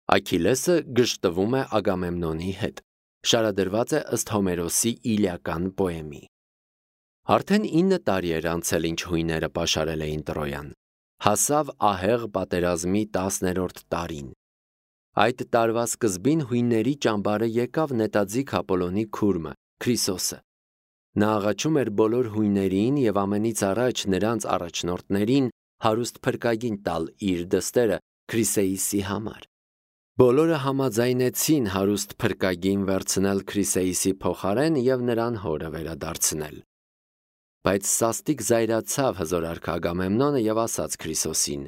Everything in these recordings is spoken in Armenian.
Աքիլեսը գժտվում է Ագամեմնոնի հետ։ Շարադրված է ըստ Հոմերոսի Իլիական պոեմի։ Արդեն 9 տարի էր անցել, ինչ հույները պաշարել էին Տրոյան։ Հասավ ահեղ պատերազմի 10-րդ տարին։ Այդ տարվա սկզբին հույների ճամբարը եկավ նետաձիգ Ապոլոնի քուրմը, Քրիսոսը։ Նա աղաչում էր բոլոր հույներին և ամենից առաջ նրանց առաջնորդներին հարուստ փրկագին տալ իր դստերը Քրիսեիսի համար։ Բոլորը համաձայնեցին հարուստ փրկագին վերցնել Քրիսեիսի փոխարեն և նրան հորը վերադարձնել։ Բայց սաստիկ զայրացավ հզոր արք Ագամեմնոնը և ասաց Քրիսոսին.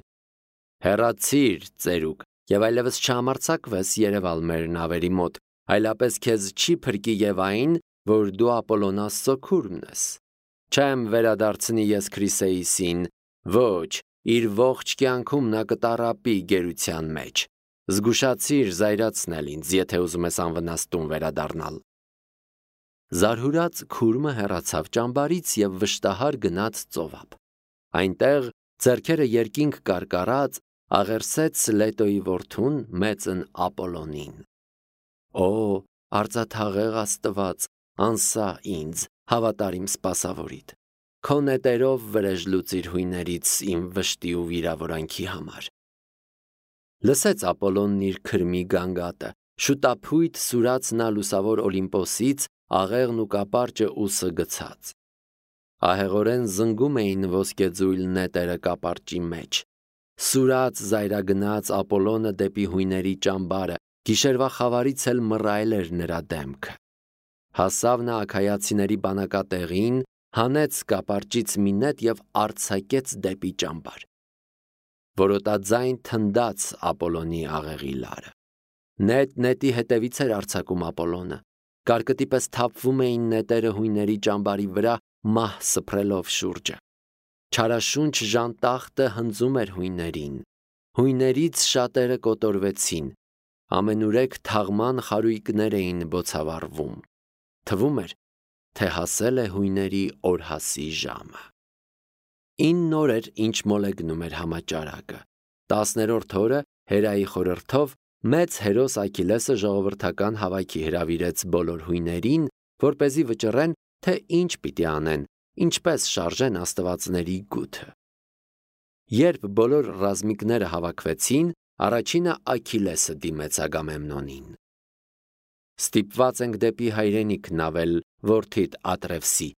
«Հեռացիր, ծերուկ, և այլևս չհամարձակվես երևալ մեր նավերի մոտ, այլապես քեզ չի փրկի և այն, որ դու Ապոլոն Աստծո քուրմն ես։ Չեմ վերադարձնի ես Քրիսեիսին, ոչ, իր ողջ կյանքում նա կտառապի գերության մեջ։ Զգուշացիր զայրացնել ինձ, եթե ուզում ես անվնաս տուն վերադառնալ»։ Զարհուրած քուրմը հեռացավ ճամբարից և վշտահար գնաց ծովափ։ Այնտեղ, ձեռքերը երկինք կարկառած, աղերսեց Լետոյի որդուն մեծն Ապոլոնին։ «Օ, արծաթաղեղ Աստված, անսա ինձ, հավատարիմ սպասավորիդ, քո նետերով վրեժ լուծիր հույներից իմ վշտի ու վիրավորանքի համար»։ Լսեց Ապոլոնն իր քրմի գանգատը, շուտափույթ սուրաց նա լուսավոր Օլիմպոսից աղեղն ու կապարճը ուսը գցած։ Ահեղորեն զնգում էին ոսկեձույլ նետերը կապարճի մեջ։ Սուրաց զայրագնաց Ապոլոնը դեպի հույների ճամբարը, գիշերվա խավարից էլ մռայլ էր նրա դեմքը։ Հասավ նա աքայացիների բանակատեղին, հանեց կապարճից մի նետ և արձակեց դեպի ճամբար։ Որոտաձայն թնդաց Ապոլոնի աղեղի լարը։ Նետ նետի հետևից էր արձակում Ապոլոնը։ Կարկտի պես թափվում էին նետերը հույների ճամբարի վրա, մահ սփռելով շուրջը։ Չարաշունչ ժանտախտը հնձում էր հույներին։ Հույներից շատերը կոտորվեցին։ Ամենուրեք թաղման խարույկներ էին բոցավառվում։ Թվում էր, թե հասել է հույների օրհասի ժամը։ 9 օր էր, ինչ մոլեգնում էր համաճարակը։ 10-րդ օրը Հերայի խորհրդով մեծ հերոս Աքիլեսը ժողովրդական հավաքի հրավիրեց բոլոր հույներին, որպեսզի վճռեն, թե ինչ պիտի անեն, ինչպես շարժեն աստվածների գութը։ Երբ բոլոր ռազմիկները հավաքվեցին, առաջինը Աքիլեսը դիմեց Ագամեմնոնին։ «Ստիպված ենք դեպի հայրենիքն ավել, որդիդ Ատրևսի»,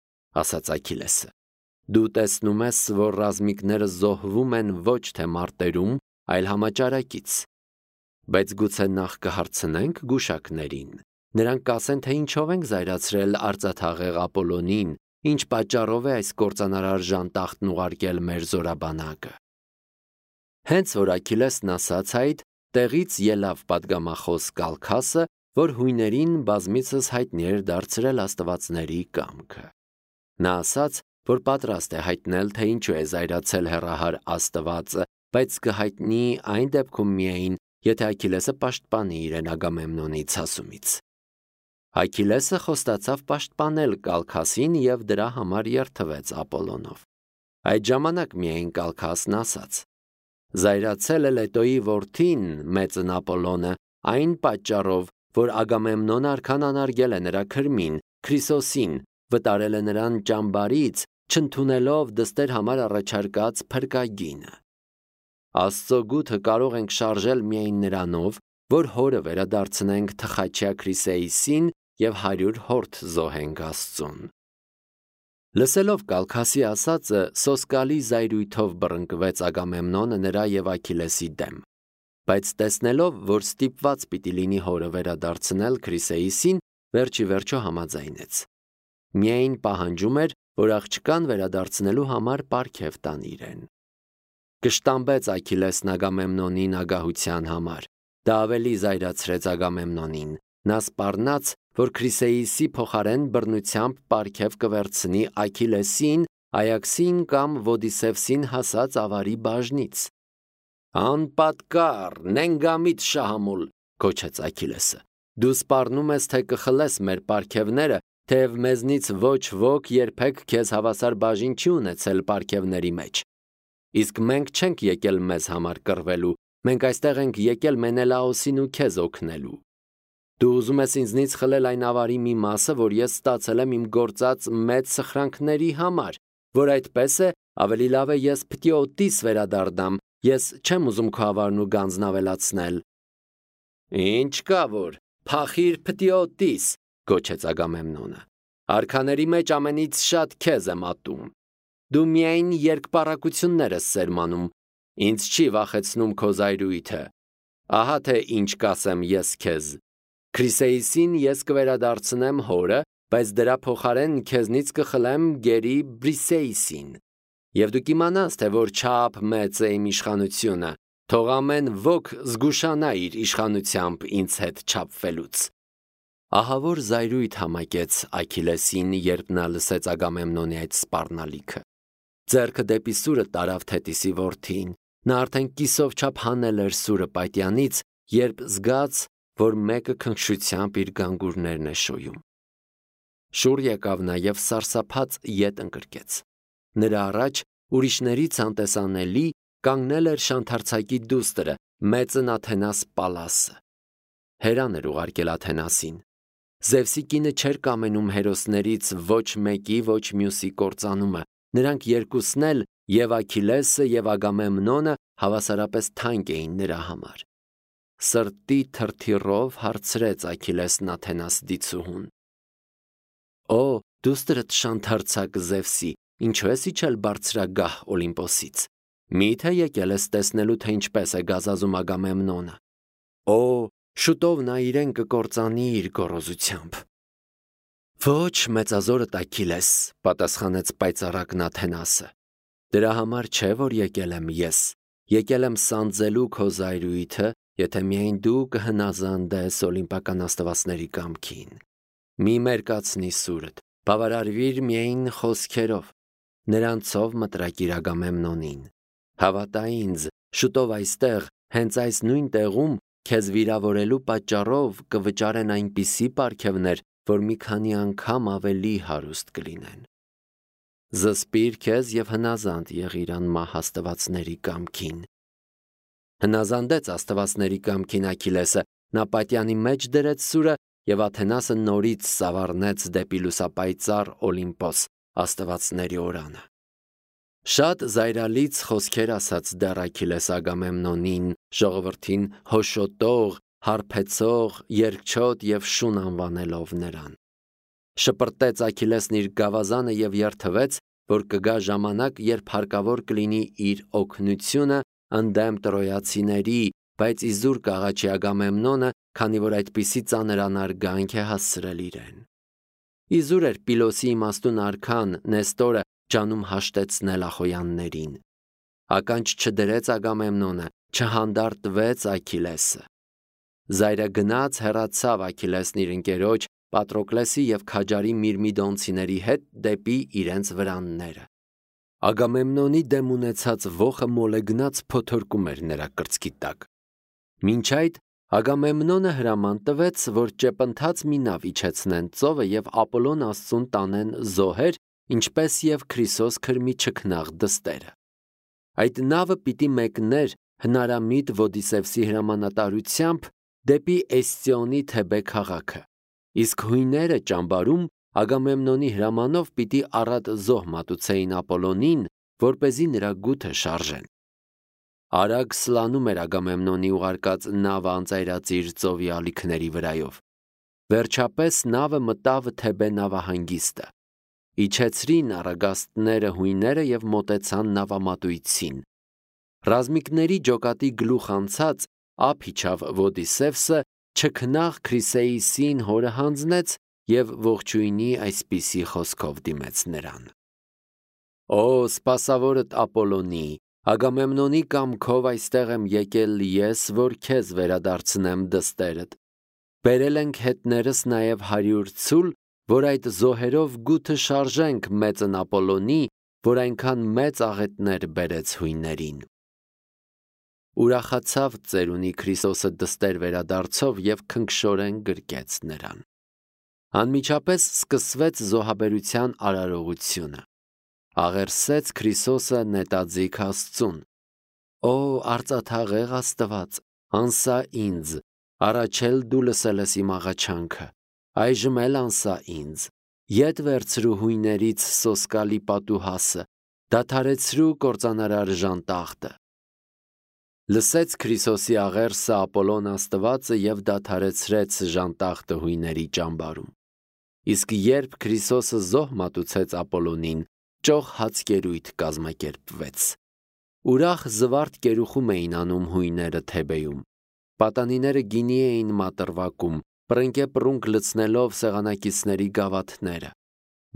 ասաց Աքիլեսը։ «Դու տեսնում ես, որ ռազմիկները զոհվում են ոչ թե մարտերում, այլ համաճարակից։ Բայց գուցե նախ կհարցնենք գուշակներին։ Նրանք կասեն, թե ինչով ենք զայրացրել արծաթաղեղ Ապոլոնին, ինչ պատճառով է այս կործանարար ժանտախտն ուղարկել մեր զորաբանակը»։ Հենց որ Աքիլեսն ասաց այդ, տեղից ելավ պատգամախոս Կալքասը, որ հույներին բազմիցս հայտնի էր դարձրել աստվածների կամքը։ Նա ասաց, որ պատրաստ է հայտնել, թե ինչու է զայրացել հեռահար Աստվածը, բայց կհայտնի այն դեպքում միայն, եթե Աքիլեսը պաշտպանի իրեն Ագամեմնոնի ցասումից։ Աքիլեսը խոստացավ պաշտպանել Կալքասին և դրա համար երդվեց Ապոլոնով։ Այդ ժամանակ միայն Կալքասն ասաց. «Զայրացել է Լետոյի որդին, մեծն Ապոլոնը, այն պատճառով, որ Ագամեմնոն արքան անարգել է նրա քրմին, Քրիսոսին, վտարել է նրան ճամբարից, չընդունելով դստեր համար առաջարկած փրկագինը։ Աստծո գութը կարող ենք շարժել միայն նրանով, որ հորը վերադարձնենք թխաչյա Քրիսեիսին և 100 հորթ զոհենք Աստծուն»։ Լսելով Կալքասի ասածը, սոսկալի զայրույթով բռնկվեց Ագամեմնոնը նրա և Աքիլեսի դեմ։ Բայց տեսնելով, որ ստիպված պիտի լինի հորը վերադարձնել Քրիսեիսին, վերջիվերջո համաձայնեց։ Միայն պահանջում էր, որ աղջկան վերադարձնելու համար պարգև տան իրեն։ Կշտամբեց Աքիլեսն Ագամեմնոնին ագահության համար։ Դա ավելի զայրացրեց Ագամեմնոնին։ Նա սպառնաց, որ Քրիսեիսի փոխարեն բռնությամբ պարգև կվերցնի Աքիլեսին, Այաքսին կամ Ոդիսևսին հասած ավարի բաժնից։ «Անպատկառ, նենգամիտ շահամուլ», գոչեց Աքիլեսը։ «Դու սպառնում ես, թե կխլես մեր պարգևները, թեև մեզնից ոչ ոք երբեք քեզ հավասար բաժին չի ունեցել պարգևների մեջ։ Իսկ մենք չենք եկել մեզ համար կռվելու, Մենք այստեղ ենք եկել Մենելաոսին ու քեզ օգնելու։ Դու ուզում ես ինձնից խլել այն ավարի մի մասը, որ ես ստացել եմ իմ գործած մեծ սխրանքների համար, որ այդպես է, ավելի լավ է ես պտիոտիս վերադառնամ, ես չեմ ուզում քո ավարն ու գանձն ավելացնել։ Ինչ կա որ, փախիր պտիոտիս, գոչեց Ագամեմնոնը։ Արքաների մեջ ամենից շատ քեզ եմ ատում։ Դու միայն երկպառակություններ ես սերմանում, ինձ չի վախեցնում քո զայրույթը։ Ահա թե ինչ կասեմ ես քեզ։ Քրիսեիսին ես կվերադարձնեմ հորը, բայց դրա փոխարեն քեզնից կխլեմ գերի Բրիսեիսին։ Եվ դու կիմանաս, թե որ չափ մեծ է իմ իշխանությունը, թող ամեն ոք զգուշանա իր իշխանությամբ ինձ հետ չափվելուց։ Ահա որ զայրույթ համակեց Աքիլեսին, երբ նա լսեց Ագամեմնոնի այդ սպառնալիքը։ Ձեռքը դեպի սուրը տարավ Թետիսի որդին, նա արդեն կիսով չափ հանել էր սուրը պատյանից, երբ զգաց, որ մեկը քնքշությամբ իր գանգուրներն է շոյում։ Շուռ եկավ նա և սարսափած ետ ընկրկեց։ Նրա առաջ ուրիշներից անտեսանելի կանգնել էր շանթարցակի դուստրը, մեծն Աթենաս Պալասը։ Հերան էր ուղարկել Աթենասին։ Զևսի կինը չէր կամենում հերոսներից ոչ մեկի, ոչ մյուսի կործանումը։ Նրանք երկուսն էլ, և Աքիլեսը, և Ագամեմնոնը հավասարապես թանկ էին նրա համար։ Սրտի թրթիռով հարցրեց Աքիլեսն Աթենաս դիցուհուն. Օ, դուստրդ շանթարցակ Զևսի, ինչու ես իջել բարձրագահ Օլիմպոսից։ Մի՞թե եկել ես տեսնելու, թե ինչպես է գազազում Ագամեմնոնը։ Օ, շուտով նա իրեն կկործանի իր գոռոզությամբ։ Ոչ, մեծազորդ Աքիլես, պատասխանեց պայծառակն Աթենասը։ Դրա համար չէ, որ եկել եմ ես։ Եկել եմ սանձելու քո զայրույթը, եթե միայն դու կհնազանդես օլիմպական աստվածների կամքին։ Մի մերկացնի սուրդ, բավարարվիր միայն խոսքերով, նրանցով մտրակիր Ագամեմնոնին։ Հավատա ինձ, շուտով այստեղ, հենց այս նույն տեղում, քեզ վիրավորելու պատճառով կվճարեն այնպիսի պարգևներ, որ մի քանի անգամ ավելի հարուստ կլինեն։ Զսպիր քեզ և հնազանդ եղիր անմահ աստվածների կամքին։ Հնազանդեց աստվածների կամքին Աքիլեսը, նա պատյանի մեջ դրեց սուրը և Աթենասը նորից սավառնեց դեպի լուսապայծառ Օլիմպոս, աստվածների օրանը։ Շատ զայրալից խոսքեր ասաց դեռ Աքիլես Ագամեմնոնին, ժողովրդին հոշոտող, հարբեցող, երկչոտ և շուն անվանելով նրան։ Շպրտեց Աքիլեսն իր գավազանը և երդվեց, որ կգա ժամանակ, երբ հարկավոր կլինի իր օգնությունը ընդդեմ տրոյացիների, բայց իզուր կաղաչի Ագամեմնոնը, քանի որ այդպիսի ծանր անարգանք է հասցրել իրեն։ Իզուր էր Պիլոսի իմաստուն արքան Նեստորը ջանում հաշտեցնել ախոյաններին։ Ականջ չդրեց Ագամեմնոնը, չհանդարտվեց Աքիլեսը։ Զայրագնաց հեռացավ Աքիլեսն իր ընկերոջ Պատրոկլեսի և քաջարի միրմիդոնցիների հետ դեպի իրենց վրանները։ Ագամեմնոնի դեմ ունեցած ոխը մոլեգնած փոթորկում էր նրա կրծքի տակ։ Մինչ այդ Ագամեմնոնը հրաման տվեց, որ ճեպընթաց մի նավ իջեցնեն ծովը և Ապոլոն աստծուն տանեն զոհեր, ինչպես և Քրիսոս քրմի չքնաղ դստերը։ Այդ նավը պիտի մեկներ հնարամիտ Ոդիսևսի հրամանատարությամբ դեպի Էսծիոնի Թեբե քաղաքը, իսկ հույները ճամբարում Ագամեմնոնի հրամանով պիտի առատ զոհ մատուցեին Ապոլոնին, որպեսզի նրա գութը շարժեն։ Արագ սլանում էր Ագամեմնոնի ուղարկած նավը անծայրածիր ծովի ալիքների վրայով։ Վերջապես նավը մտավ Թեբե նավահանգիստը։ Իջեցրին առագաստները հույները և մոտեցան նավամատույցին։ Ռազմիկների ջոկատի գլուխ անցած ափ իջավ Ոդիսևսը, չքնաղ Քրիսեիսին հորը հանձնեց և ողջույնի այսպիսի խոսքով դիմեց նրան. Օ, սպասավորդ Ապոլոնի, Ագամեմնոնի կամքով այստեղ եմ եկել ես, որ քեզ վերադարձնեմ դստերդ։ Բերել ենք հետներս նաև 100 ցուլ, որ այդ զոհերով գութը շարժենք մեծն Ապոլոնի, որ այնքան մեծ աղետներ բերեց հույներին։ Ուրախացավ ծերունի Քրիստոսը դստեր վերադարձով և քնքշորեն գրկեց նրան։ Անմիջապես սկսվեց զոհաբերության արարողությունը։ Աղերսեց Քրիստոսը նետաձիգ Աստծուն։ Օ, արծաթաղեղ Աստված, անսա ինձ, առաջել դու լսել ես իմ աղաչանքը, այժմ էլ անսա ինձ, ետ վերցրու հույներից սոսկալի պատուհասը, դադարեցրու կործանարար ժանտախտը։ Լսեց Քրիստոսի աղերսը Ապոլոն Աստվածը և դադարեցրեց ժանտախտը հույների ճամբարում։ Իսկ երբ Քրիստոսը զոհ մատուցեց Ապոլոնին, ճոխ հացկերույթ կազմակերպվեց։ Ուրախ զվարթ կերուխում էին անում հույները Թեբեում։ Պատանիները գինի էին մատրվակում, պռնկե-պռունկ լցնելով սեղանակիցների գավաթները։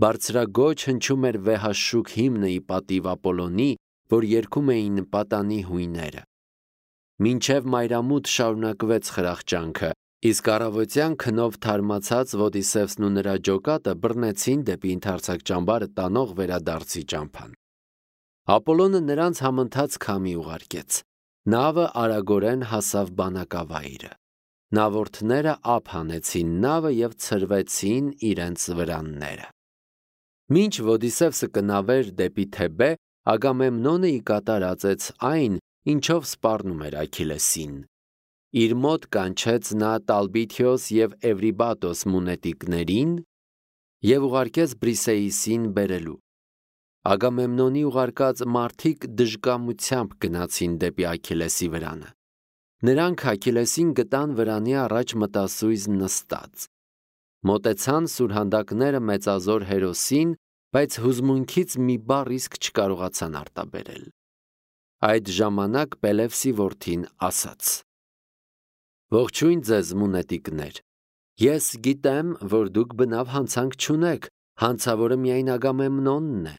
Բարձրագոչ հնչում էր վեհաշուք հիմնը ի պատիվ Ապոլոնի, որ երգում էին պատանի հույները։ Մինչև մայրամուտ շարունակվեց խրախճանքը, իսկ առավոտյան քնով թարմացած Ոդիսևսն ու նրա ջոկատը բռնեցին դեպի ընդարձակ ճամբարը տանող վերադարձի ճամփան։ Ապոլոնը նրանց համընթաց քամի ուղարկեց։ Նավը արագորեն հասավ բանակավայրը։ Նավորդները ափ հանեցին նավը և ցրվեցին իրենց վրանները։ Մինչ Ոդիսևսը կնավեր դեպի Թեբե, Ագամեմնոնը ի կատարածեց այն, ինչով սպառնում էր Աքիլեսին։ Իր մոտ կանչեց նա Տալբիթիոս և Էվրիբատոս մունետիկներին և ուղարկեց Բրիսեիսին բերելու։ Ագամեմնոնի ուղարկած մարդիկ դժկամությամբ գնացին դեպի Աքիլեսի վրանը։ Նրանք Աքիլեսին գտան վրանի առաջ մտասույզ նստած։ Մոտեցան սուրհանդակները մեծազոր հերոսին, բայց հուզմունքից մի բառ իսկ չկարողացան արտաբերել։ Այդ ժամանակ Պելևսի որդին ասաց. Ողջույն ձեզ, մունետիկներ, ես գիտեմ, որ դուք բնավ հանցանք չունեք, հանցավորը միայն Ագամեմնոնն է։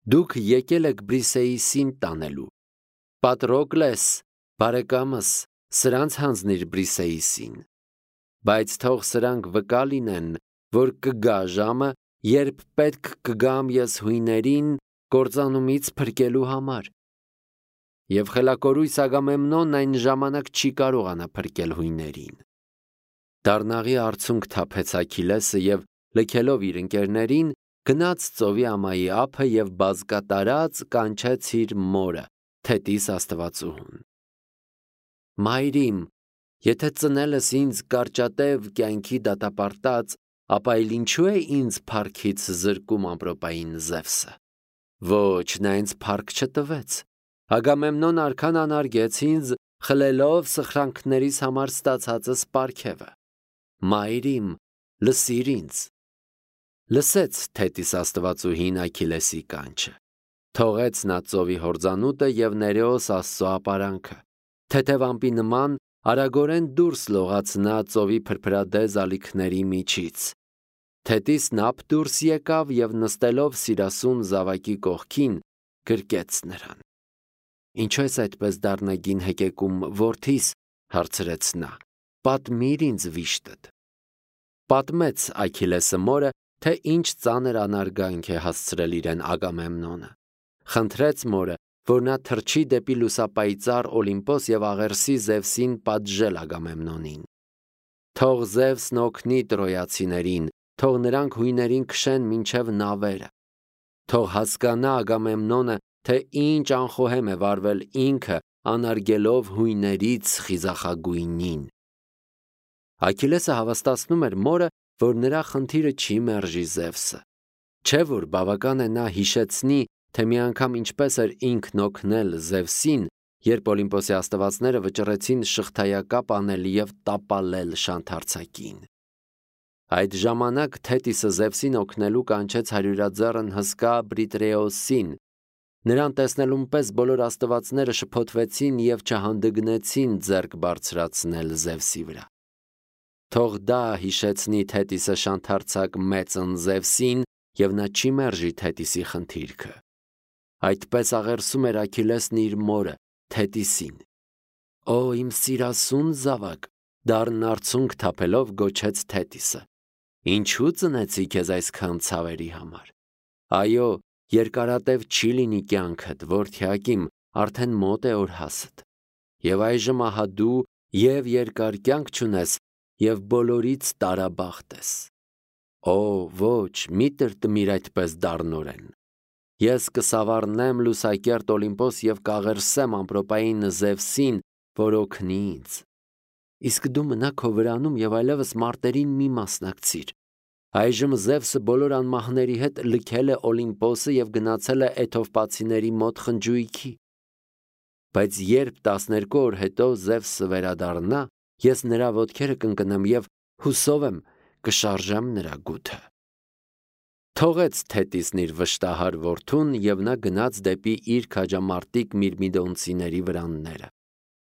Դուք եկել եք Բրիսեիսին տանելու։ Պատրոկլես, բարեկամս, սրանց հանձնիր Բրիսեիսին։ Բայց թող սրանք վկա լինեն, որ կգա ժամը, երբ պետք կգամ ես հույներին կործանումից փրկելու համար։ Եվ խելակորույս Ագամեմնոնն այն ժամանակ չի կարողանա փրկել հույներին։ Դառնաղի արցունք թափեց Աքիլեսը և լքելով իր ընկերներին, գնաց ծովի ամայի ափը և բազկատարած կանչեց իր մորը, Թետիս աստվածուհուն։ Մայրիմ, եթե ծնելս ինձ կարճատև կյանքի դատապարտած, ապա այլ ինչու է ինձ փառքից զրկում ամպրոպային Զևսը։ Ոչ, նա ինձ փառք չտվեց։ Ագամեմնոն արքան անարգեց ինձ, խլելով սխրանքներիս համար ստացածս պարգևը։ Մայրիմ, լսիր ինձ։ Լսեց Թետիս աստվածուհին Աքիլեսի կանչը։ Թողեց նա ծովի հորձանուտը և ներեոս Աստծո ապարանքը։ Թեթևամպի նման արագորեն դուրս լողաց նա ծովի փրփրադեզ ալիքների միջից։ Թետիսն ափ դուրս եկավ և նստելով սիրասուն զավակի կողքին, գրկեց նրան։ Ինչո՞ւ ես այդպես դառնագին հեկեկում, որդիս, հարցրեց նա, պատմիր ինձ վիշտդ։ Պատմեց Աքիլեսը մորը, թե ինչ ծանր անարգանք է հասցրել իրեն Ագամեմնոնը։ Խնդրեց մորը, որ նա թռչի դեպի լուսապայծառ Օլիմպոս և աղերսի Զևսին պատժել Ագամեմնոնին։ Թող Զևսն օգնի տրոյացիներին, թող նրանք հույներին քշեն մինչև նավերը։ Թող հասկանա Ագամեմնոնը, թե ինչ անխոհեմ է վարվել ինքը, անարգելով հույներից խիզախագույնին։ Աքիլեսը հավաստացնում էր մորը, որ նրա խնդիրը չի մերժի Զևսը։ Չէ՞ որ բավական է նա հիշեցնի, թե մի անգամ ինչպես էր ինքն օգնել Զևսին, երբ Օլիմպոսի աստվածները վճռեցին շղթայակապ անել և տապալել շանթարցակին։ Այդ ժամանակ Թետիսը Զևսին օգնելու կանչեց հարյուրաձեռն հսկա Բրիտրեոսին։ Նրան տեսնելուն պես բոլոր աստվածները շփոթվեցին և չհանդգնեցին ձեռք բարձրացնել Զևսի վրա։ Թող դա հիշեցնի Թետիսը շանթարցակ մեծն Զևսին, և նա չի մերժի Թետիսի խնդիրքը։ Այդպես աղերսում էր Աքիլեսն իր մորը, Թետիսին։ Օ, իմ սիրասուն զավակ, դառն արցունք թափելով գոչեց Թետիսը։ Ինչու ծնեցի քեզ այսքան ցավերի համար։ Այո, երկարատև չի լինի կյանքդ, որդյակ իմ, արդեն մոտ է օրհասդ։ Եվ այժմ ահա դու և երկար կյանք չունես, և բոլորից տարաբախտ ես։ Օ, ոչ, մի տրտմիր այդպես դառնորեն։ Ես կսավառնեմ լուսակերտ Օլիմպոս և կաղերսեմ ամպրոպային Զևսին, որ օգնի ինձ։ Իսկ դու մնա քո վրանում և այլևս մարտերին մի մասնակցիր։ Այժմ Զևսը բոլոր անմահների հետ լքել է Օլիմպոսը և գնացել է Էթովպացիների մոտ խնջույքի։ Բայց երբ 12 օր հետո Զևսը վերադառնա, ես նրա ոտքերը կընկնեմ և հուսով եմ կշարժեմ նրա գութը։ Թողեց Թետիսն իր վշտահար որդուն և նա գնաց դեպի իր քաջամարտիկ միրմիդոնցիների վրանները։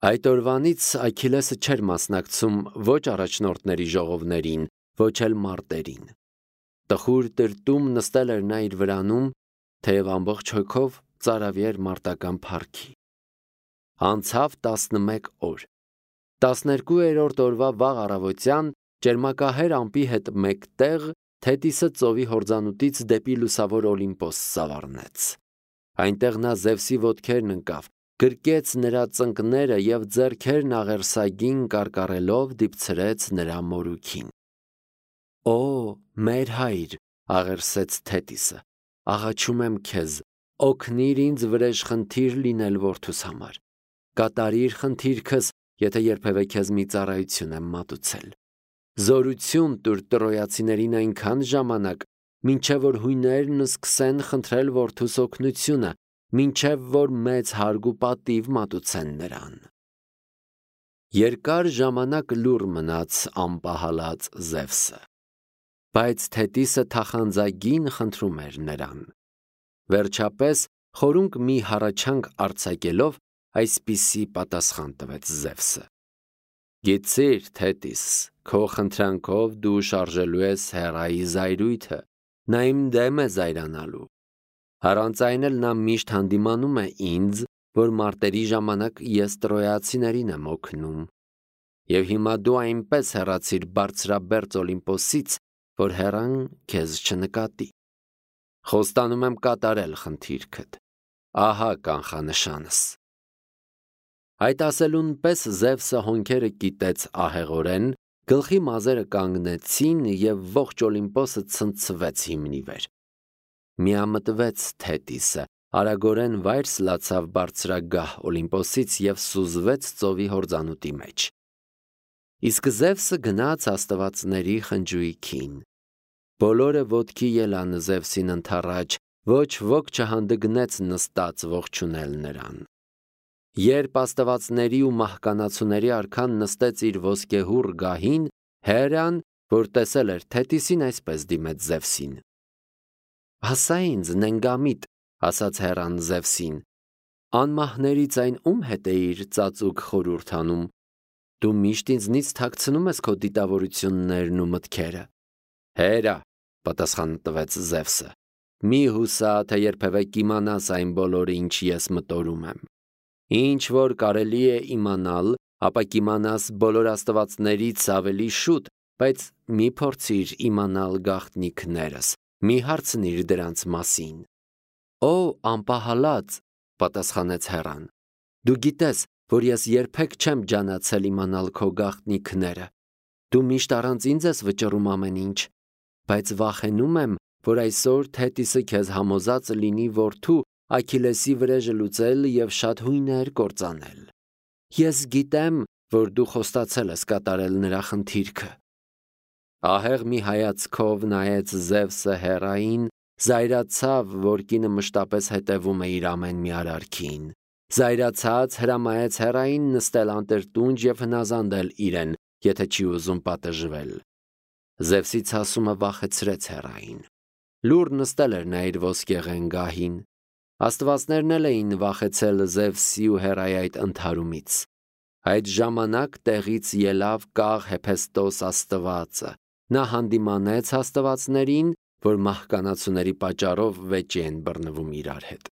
Այդ օրվանից Աքիլեսը չէր մասնակցում ոչ առաջնորդների ժողովներին, ոչ էլ մարտերին։ Տխուր տրտում նստել էր նա իր վրանում, թեև ամբողջ հոգով ծարավի էր մարտական փառքի։ Անցավ 11 օր։ 12-րդ օրվա վաղ առավոտյան ճերմակահեր ամպի հետ մեկտեղ Թետիսը ծովի հորձանուտից դեպի լուսավոր Օլիմպոս սավառնեց։ Այնտեղ նա Զևսի ոտքերն ընկավ, գրկեց նրա ծնկները և ձեռքերն աղերսագին կարկառելով դիպցրեց նրա մորուքին։ Օ, մեր հայր, աղերսեց Թետիսը, աղաչում եմ քեզ, օգնիր ինձ վրեժխնդիր լինել որդուս համար։ Կատարիր խնդիրքս, եթե երբևէ քեզ մի ծառայություն եմ մատուցել։ Զորություն տուր տրոյացիներին այնքան ժամանակ, մինչև որ հույներն սկսեն խնդրել որդուս օգնությունը, մինչև որ մեծ հարգ ու պատիվ մատուցեն նրան։ Երկար ժամանակ լուռ մնաց անպահալած Զևսը, բայց Թետիսը թախանձագին խնդրում էր նրան։ Վերջապես խորունկ մի հառաչանք արձակելով այսպիսի պատասխան տվեց Զևսը. Գիտիր, Թետիս, քո խնդրանքով դու շարժելու ես Հերայի զայրույթը, նա իմ դեմ է զայրանալու։ Առանց այն էլ նա միշտ հանդիմանում է ինձ, որ մարտերի ժամանակ ես տրոյացիներին եմ օգնում։ Եվ հիմա դու այնպես հեռացիր բարձրաբերձ Օլիմպոսից, որ Հերան քեզ չնկատի։ Խոստանում եմ կատարել խնդիրքդ։ Ահա կանխանշանս։ Այդ ասելուն պես Զևսը հոնքերը կիտեց ահեղորեն, գլխի մազերը կանգնեցին և ողջ Օլիմպոսը ցնցվեց հիմնի վեր։ Միամտվեց Թետիսը, արագորեն վայր սլացավ բարձրագահ Օլիմպոսից և սուզվեց ծովի հորձանուտի մեջ։ Իսկ Զևսը գնաց աստվածների խնջույքին։ Բոլորը ոտքի ելան Զևսին ընդառաջ, ոչ ոք չհանդգնեց նստած ողջունել նրան։ Երբ աստվածների ու մահկանացուների արքան նստեց իր ոսկեհուռ գահին, Հերան, որ տեսել էր Թետիսին, այսպես դիմեց Զևսին. Ասա ինձ, նենգամիտ, ասաց Հերան Զևսին, անմահներից այն ում հետ էիր ծածուկ խորհուրդ անում։ Դու միշտ ինձնից թաքցնում ես քո դիտավորություններն ու մտքերը։ Հերա, պատասխան տվեց Զևսը, մի հուսա, թե երբևէ կիմանաս այն բոլորը, ինչ ես մտորում եմ։ Ինչ որ կարելի է իմանալ, ապա կիմանաս բոլոր աստվածներից ավելի շուտ, բայց մի փորձիր իմանալ գաղտնիքներս, մի հարցնիր դրանց մասին։ Օ, անպահալած, պատասխանեց Հերան, դու գիտես, որ ես երբեք չեմ ջանացել իմանալ քո գաղտնիքները։ Դու միշտ առանց ինձ ես վճռում ամեն ինչ, բայց վախենում եմ, որ այսօր Թետիսը քեզ համոզած լինի որդու Աքիլեսի վրեժը լուծել և շատ հույներ կործանել։ Ես գիտեմ, որ դու խոստացել ես կատարել նրա խնդիրքը։ Ահեղ մի հայացքով նայեց Զևսը Հերային, զայրացավ, որ կինը մշտապես հետևում է իր ամեն մի արարքին։ Զայրացած հրամայեց Հերային նստել անտրտունջ և հնազանդել իրեն, եթե չի ուզում պատժվել։ Զևսի ցասումը վախեցրեց Հերային։ Լուռ նստել էր նա իր ոսկեղեն գահին։ Աստվածներն էլ էին վախեցել Զևսի ու Հերայի այդ ընդհարումից։ Այդ ժամանակ տեղից ելավ կաղ Հեփեստոս աստվածը։ Նա հանդիմանեց աստվածներին, որ մահկանացուների պատճառով վեճի են բռնվում իրար հետ։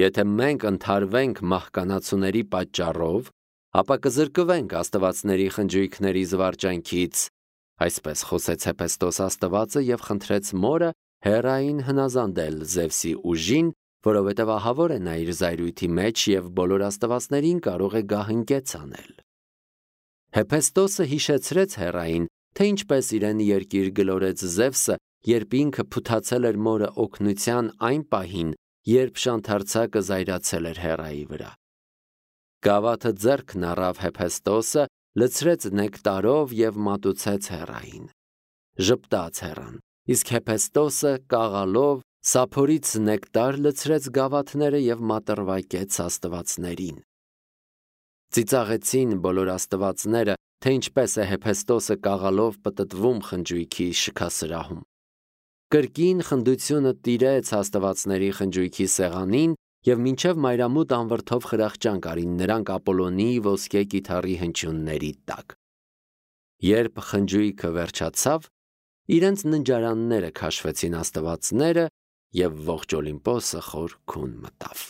Եթե մենք ընդհարվենք մահկանացուների պատճառով, ապա կզրկվենք աստվածների խնջույքների զվարճանքից, այսպես խոսեց Հեփեստոս աստվածը և խնդրեց մորը Հերային հնազանդել Զևսի ուժին, որովհետև ահավոր է նա իր զայրույթի մեջ և բոլոր աստվածներին կարող է գահընկեց անել։ Հեփեստոսը հիշեցրեց Հերային, թե ինչպես իրեն երկիր գլորեց Զևսը, երբ ինքը փութացել էր մորը օգնության այն պահին, երբ շանթարցակը զայրացել էր Հերայի վրա։ Գավաթը ձեռքն առավ Հեփեստոսը, լցրեց նեկտարով և մատուցեց Հերային։ Ժպտաց Հերան, իսկ Հեփեստոսը կաղալով սափորից նեկտար լցրեց գավաթները և մատրվայկեց աստվածներին։ Ծիծաղեցին բոլոր աստվածները, թե ինչպես է Հեփեստոսը կաղալով պտտվում խնջույքի շքասրահում։ Կրկին խնդությունը տիրեց աստվածների խնջույքի սեղանին և մինչև մայրամուտ անվրդով խրախճանք արին նրանք Ապոլոնի ոսկե կիթառի հնչյունների տակ։ Երբ խնջույքը վերջացավ, իրենց ննջարանները քաշվեցին աստվածները, և ողջ Օլիմպոսը խոր քուն մտավ։